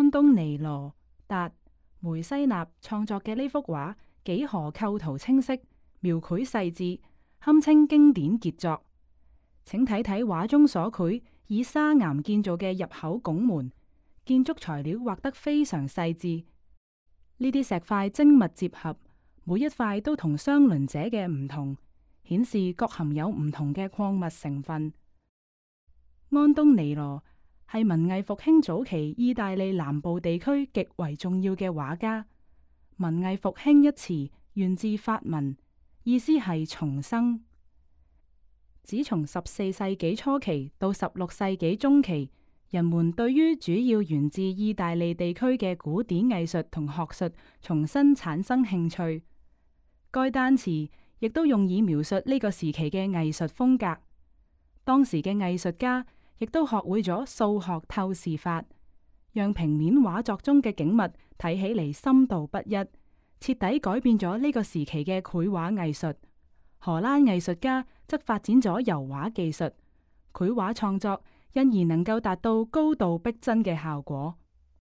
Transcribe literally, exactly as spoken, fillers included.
安東尼羅達梅西納創作嘅呢幅畫幾何構圖清晰，描繪細緻，堪稱經典傑作。請睇睇畫中所繪以砂岩建造嘅入口拱門，建築材料畫得非常細緻。呢啲石塊精密接合，每一塊都同相鄰者嘅唔同，顯示各含有唔同嘅礦物成分。安東尼羅係文藝復興早期意大利南部地區極為重要嘅畫家。文藝復興一詞源自法文，意思係重生。只從十四世紀初期到十六世紀中期，人們對於主要源自意大利地區嘅古典藝術同學術重新產生興趣。該單詞亦都用以描述呢個時期嘅藝術風格。當時嘅藝術家亦都學會咗數學透視法，讓平面畫作中嘅景物睇起嚟深度不一，徹底改變咗呢個時期嘅繪畫藝術。荷蘭藝術家則發展咗油畫技術，繪畫創作因而能夠達到高度逼真嘅效果。